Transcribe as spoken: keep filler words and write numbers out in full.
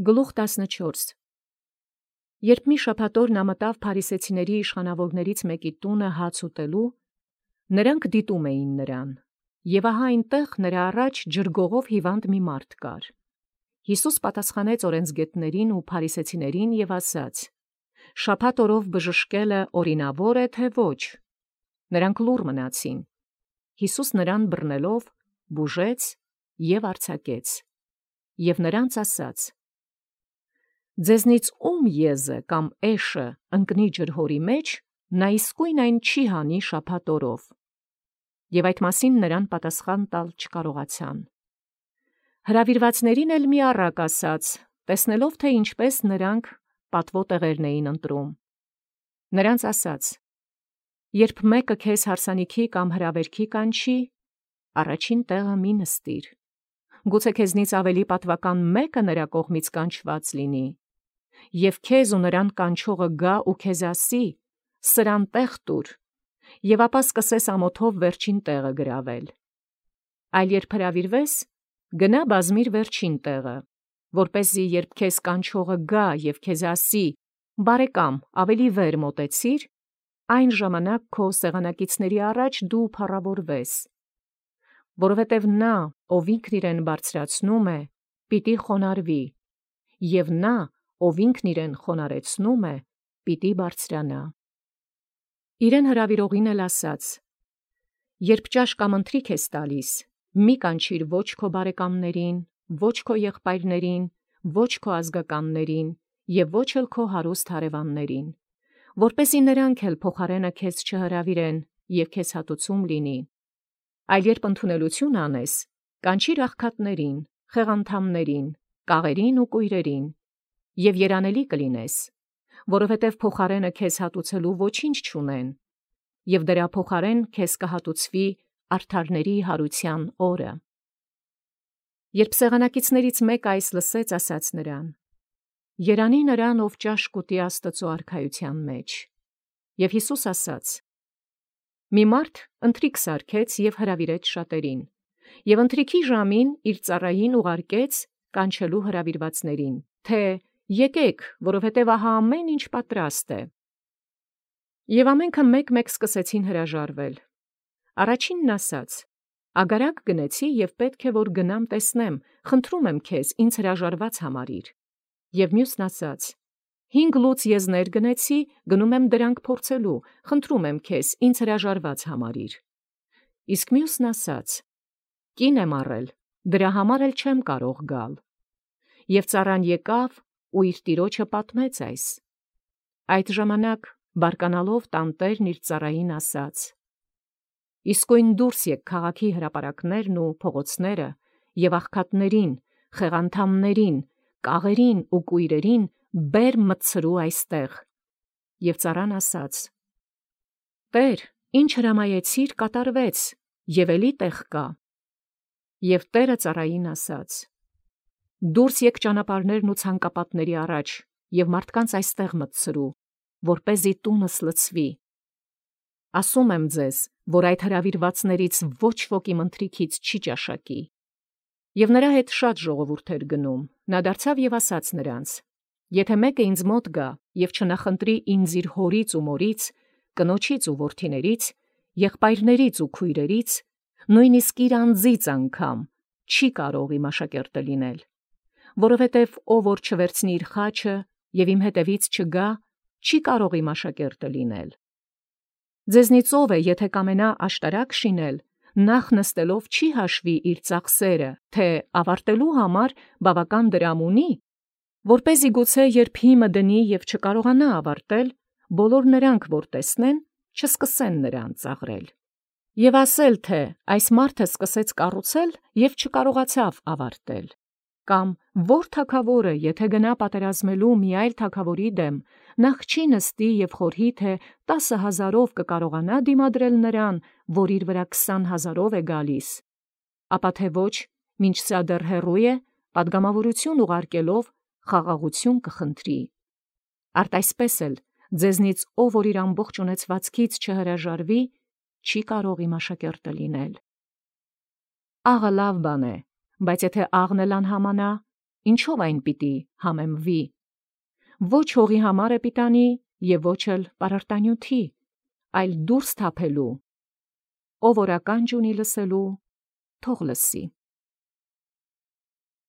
Գլուխ տասնչորս Երբ մի շաբաթօր մտավ փարիսեցիների իշխանաւորացն մեկի տունը հաց ուտելոյ, նրանք դիտում էին նրան, և ահա այնտեղ նրա առաջ ջրգողով հիվանդ մի մարդ կար. Յիսուս պատասխանեց օրենսգետացն ու փարիսեցիցն և ասաց. շաբաթ օրով բժշկելը օրինաւոր է, թե ոչ. նրանք լուռ մնացին. Յիսուս նրան բռնելով բուժեց և արձակեց, և նրանց ասաց. ձեզնից ում եզը կամ էշը ընկնի ջրհորի մեջ, նա իսկույն այն չի հանի շաբաթ օրով. և այդ մասին նրան պատասխան տալ չկարողացան։ Հրավիրվածացն էլ մի առակ ասաց, տեսնելով թէ ինչպէս նրանք պատուո տեղերն էին ընտրում. նրանց ասաց. երբ մեկը քեզ հարսանիքի կամ հրավերքի կանչի, առաջին տեղը մի նստիր. գուցե քեզնից ավելի պատուական մեկը նրա կողմից կանչված լինի, և քեզ ու նրան կանչողը գա ու քեզ ասի. սրան տեղ տուր, և ապա սկսես ամոթով վերջին տեղը գրավել. այլ երբ հրավիրվես, գնա բազմիր վերջին տեղը, որպեսզի երբ քեզ կանչողը գա և քեզ ասի. բարեկամ, ավելի վեր մոտեցիր, այն ժամանակ քո սեղանակիցների առաջ դու փառաւորվես. որովհետև նա, ով ինքն իրեն բարձրացնում է, պիտի խոնարհվի, և նա, ով ինքն իրեն խոնարհեցնում է, պիտի բարձրանա։ Իրեն հրավիրողին էլ ասաց. երբ ճաշ կամ ընթրիք ես տալիս, մի կանչիր ոչ քո բարեկամներին, ոչ քո եղբայրներին, ոչ քո ազգականներին և ոչ էլ քո հարուստ հարևաններին, որպեսզի նրանք էլ փոխարենը քեզ չհրավիրեն և քեզ հատուցում լինի. այլ երբ ընդունելություն անես, կանչիր աղքատներին, խեղանդամներին, կաղերին ու կույրերին, և երանելի կլինես, որովհետև փոխարենը քեզ հատուցելու ոչինչ չունեն, և դրա փոխարեն քեզ կհատուցվի արդարների հարության օրը։ Երբ սեղանակիցներից մեկը այս լսեց, ասաց նրան. երանի նրան, ով ճաշ կուտի Աստուծոյ արքայութեան մեջ։ Եւ Յիսուս ասաց. մի մարդ ընթրիք սարքեց և հրավիրեց շատերին, և ընթրիքի ժամին իր ծառային ուղարկեց կանչելու հրավիրվածներին, թէ եկեք, որովհետև ահա ամեն ինչ պատրաստ է։ Եւ ամենքը մեկ-մեկ սկսեցին հրաժարվել։ Առաջինն ասաց. ագարակ գնեցի և պետք է որ գնամ տեսնեմ, խնդրում եմ քեզ ինձ հրաժարված համարիր։ Եւ մյուսն ասաց. հինգ լուծ եզներ գնեցի, գնում եմ դրանք փորձելու, խնդրում եմ քեզ ինձ հրաժարված համարիր։ Իսկ մյուսն ասաց. կին եմ առել, դրա համար էլ չեմ կարող գալ։ Եւ ծառան եկավ ու իր տիրոջը պատմեց այս։ Այդ ժամանակ բարկանալով տանտերն իր ծառային ասաց. իսկույն դուրս եկ քաղաքի հրապարակներն ու փողոցները և աղքատներին, խեղանդամներին, կաղերին ու կույրերին բեր մտցրու այստեղ։ Եւ ծառան ասաց. Տէր, ինչ հրամայեցիր, կատարվեց, և էլի տեղ կա։ Եւ Տէրը ծառային ասաց. դուրս եկ ճանապարհներն ու ցանկապատների առաջ և մարդկանց այստեղ մտցրու, որպեսզի տունս լցվի։ Ասում եմ ձեզ, որ այդ հրավիրվածներից ոչ ոք իմ ընթրիքից չի ճաշակի։ Եւ նրա հետ շատ ժողովուրդ էր գնում. նա դարձավ և ասաց նրանց. եթե մեկը ինձ մոտ գա և չնախընտրի ինձ իր հորից ու մորից, կնոջից ու որդիներից, եղբայրներից ու քույրերից, նույնիսկ իր անձից անգամ, չի կարող իմ աշակերտը լինել։ Որովհետև ով որ չվերցնի իր խաչը և իմ հետևից չգա, չի կարող իմ աշակերտը լինել։ Ձեզնից ով է, եթե կամենա աշտարակ շինել, նախ նստելով չի հաշվի իր ծախսերը, թե ավարտելու համար բավական դրամ ունի, որպեսզի գուցե երբ հիմը դնի և չկարողանա ավարտել, բոլոր նրանք, որ տեսնեն, չսկսեն նրան ծաղրել։ Եվ ասել, թե այս մարդը սկսեց կառուցել և չկարողացավ ավարտել։ Կամ ո՞ր թագաւորը, եթե գնա պատերազմելու մի այլ թագաւորի դեմ, նախ չի նստի և խորհի, թե տասը հազարով կկարողանա դիմադրել նրան, որ իր վրա քսան հազարով է գալիս, ապա թե ոչ, մինչ սա դեռ հեռու է, պատգամավորություն ուղարկելով խաղաղություն կխնդրի։ Արդ այսպես էլ ձեզնից ով որ իր ամբողջ ունեցվածքից չհրաժարվի, չի կարող իմ աշակերտը լինել։ Աղը լավ բան է, բայց եթե աղն էլ անհամանա, ինչով այն պիտի համեմվի։ Ոչ հողի համար է պիտանի և ոչ էլ պարարտանյութի, այլ դուրս թափելու։ Ով որ ականջ ունի լսելու, թող լսի։